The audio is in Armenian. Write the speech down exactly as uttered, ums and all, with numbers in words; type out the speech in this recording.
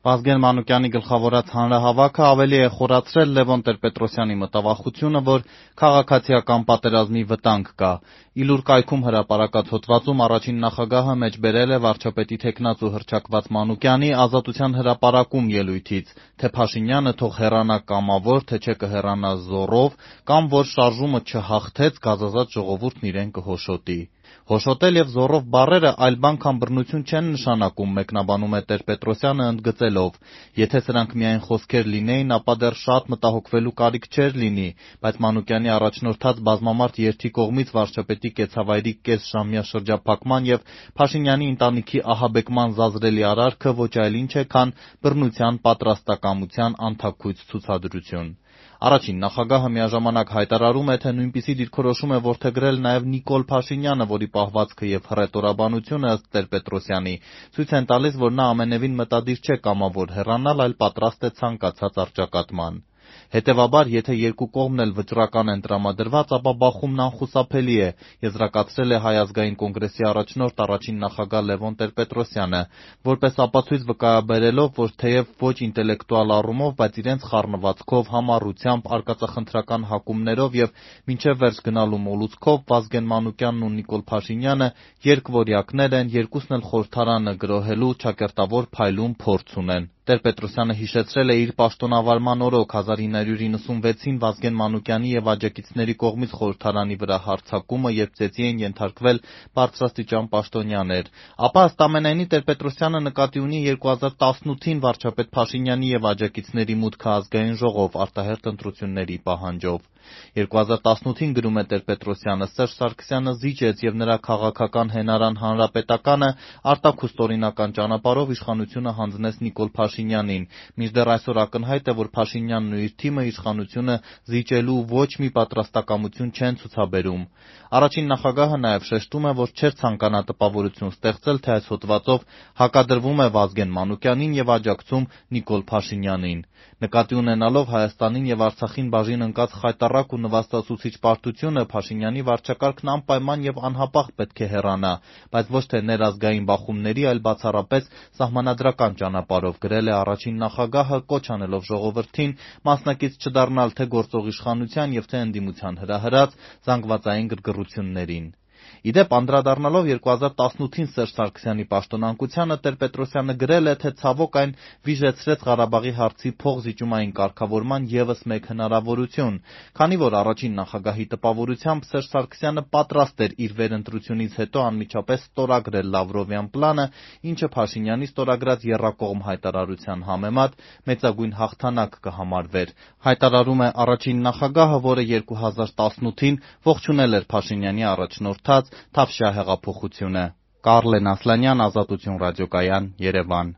Վազգեն Մանուկյանի գլխավորած հանրահավաքը ավելի է խորացրել Լևոն Տեր-Պետրոսյանի մտավախությունը, որ քաղաքացիական պատերազմի վտանգ կա։ Իլուր կայքում հրապարակած հոդվածում առաջին նախագահը մեջբերել է վարչապետի թեկնածու հռչակված Մանուկյանի Ազատության հրապարակում ելույթից, թե Փաշինյանը թող հեռանա կամավոր, թե չէ կհեռանա զոռով, կամ որ շարժումը չհաղթեց, գազազած ժողովուրդն իրեն կհոշոտի։ Հոշոտել և զոռով բառերը այլ բան քան բռնություն չեն նշանակում, մեկնաբանում է Տեր-Պետրոսյանը ընդգծելով. եթե սրանք միայն խոսքեր լինեին, ապա դեռ շատ մտահոգվելու կարիք չէր լինի, բայց Մանուկյանի առաջնորդած բազմամարդ երթի կողմից վարչապետի կեցավայրի կեսժամյա շրջափակման և Փաշինյանի ընտանիքի ահաբեկման զազրելի արարքը ոչ այլ ինչ է, քան բռնության պատրաստակամության անթաքույց ցուցադրություն։ Առաջին նախագահը միաժամանակ հայտարարում է, թե նույնպիսի դիրքորոշում է որդեգրել նաև Նիկոլ Փաշինյանը, որի պահվածքը և հռետորաբանությունը, ըստ Տեր-Պետրոսյանի, ցույց են տալիս, որ նա ամենևին մտադիր չէ կամավոր հեռանալ, այլ պատրաստ է ցանկացած առճակատման։ Հետևաբար, եթե երկու կողմն էլ վճռական են տրամադրված, ապա բախումն անխուսափելի է, եզրակացրել է Հայ ազգային կոնգրեսի առաջնորդ առաջին նախագահ Լևոն Տեր-Պետրոսյանը, որպես ապացույց վկայաբերելով, որ թեև ոչ ինտելեկտուալ առումով, բայց իրենց խառնվածքով, համառությամբ, արկածախնդրական հակումներով և մինչև վերջ գնալու մոլուցքով Վազգեն Մանուկյանն ու Նիկոլ Փաշինյանը երկվորյակներ են, երկուսն էլ խորհրդարանը գրոհելու ճակերտավոր փայլուն փորձ ունեն։ Տեր-Պետրոսյանը հիշեցրել է իր պաշտոնավարման օրոք հազար ինը հարյուր նվաթ Վազգեն Մանուկյանի և աջակիցների կողմից խորհրդարանի վրա հարձակումը, երբ ծեծի էին ենթարկվել բարձրաստիճան պաշտոնյաներ։ Ապա ըստ ամենայնի Տեր-Պետրոսյանը նկատի ունի երկու հազար տասնութ վարչապետ Փաշինյանի և աջակիցների մուտքը Ազգային ժողով արտահերթ ընտրությունների պահանջով։ երկու հազար տասնութ գրում է Տեր-Պետրոսյանը, Սերժ Սարգսյանը զիջեց և նրա քաղաքական հենարան Հանրապետականը արտաքուստ-օրինական ճանապարհով իշխանությունը հանձնեց Նիկոլ Փաշինյանին, մինչդեռ այսօր ակնհայտ է, որ Փաշինյանն ու իր թիմը իշխանությունը զիջելու ոչ մի պատրաստակամություն չեն ցուցաբերում։ Առաջին նախագահը նաև շեշտում է, որ չէր ցանկանա տպավորություն ստեղծել, թե այս հոդվածով հակադրվում է Վազգեն Մանուկյանին և աջակցում Նիկոլ Փաշինյանին։ Նկատի ունենալով Հայաստանին և Արցախին բաժին ընկած խայտառակ ու նվաստացուցիչ պարտությունը, Փաշինյանի վարչակարգն անպայման և անհապաղ պետք է հեռանա, բայց ոչ թե ներազգային բախումների, այլ բացառապես սահմանադրական ճանապարհով, գրել է առաջին նախագահը, կոչ անելով ժողովրդին մասնակից չդառնալ թե գործող իշխանության և թե ընդդիմության հրահրած զանգվածային գրգռություններին։ Ի դեպ, անդրադառնալով երկու հազար տասնութ Սերժ Սարգսյանի պաշտոնանկությանը, Տեր-Պետրոսյանը գրել է, թե ցավոք այն վիժեցրեց Ղարաբաղի հարցի փոխզիջումային կարգավորման ևս մեկ հնարավորություն, քանի որ առաջին նախագահի տպավորությամբ Սերժ Սարգսյանը պատրաստ էր իր վերընտրությունից հետո անմիջապես ստորագրել Լավրովյան պլանը, ինչը Փաշինյանի ստորագրած եռակողմ հայտարարության համեմատ մեծագույն հաղթանակ կհամարվեր։ Հայտարարում է առաջին նախագահը, որը երկու հազար տասնութ ողջունել էր Փաշինյանի առաջնորդած Թավշյա հեղափոխությունը։ Կարլեն Ասլանյան, Ազատություն ռադիոկայան, Երևան։